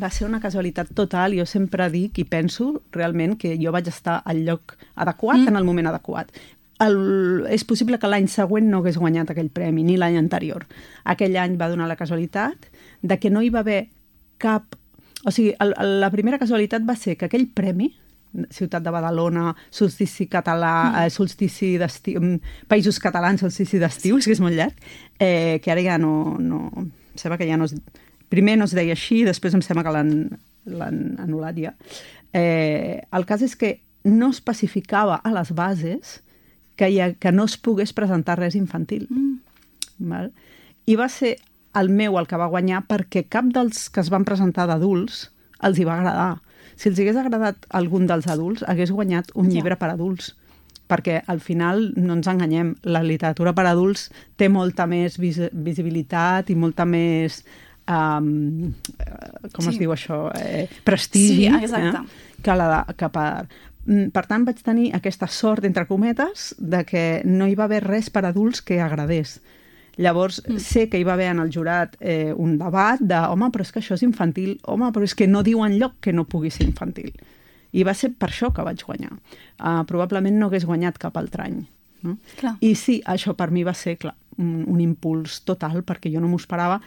va ser una casualitat total. Jo sempre dic i penso realment que jo vaig estar al lloc adequat en el moment adequat. És possible que l'any següent no hagués guanyat aquell premi, ni l'any anterior. Aquell any va donar la casualitat de que no hi va haver cap... O sigui, la primera casualitat va ser que aquell premi, Ciutat de Badalona, solstici català, solstici d'estiu, Països Catalans, solstici d'estiu, és que és molt llarg, que ara ja no... Em sembla que ja no es... Primer no es deia així, després em sembla que l'han anul·lat ja. El cas és que no especificava a les bases que no es pogués presentar res infantil. Val? I va ser el meu el que va guanyar perquè cap dels que es van presentar d'adults els hi va agradar. Si els hagués agradat algun dels adults, hagués guanyat un llibre per adults. Perquè al final, no ens enganyem, la literatura per adults té molta més visibilitat i molta més... com es diu això? Prestigi. Sí, exacte. Que per tant, vaig tenir aquesta sort, entre cometes, de que no hi va haver res per adults que agradés. Llavors, sé que hi va haver en el jurat un debat de home, però és que això és infantil, home, però és que no diu enlloc que no pugui ser infantil. I va ser per això que vaig guanyar. Probablement no hagués guanyat cap altre any. No? I sí, això per mi va ser, clar, un impuls total, perquè jo no m'ho esperava.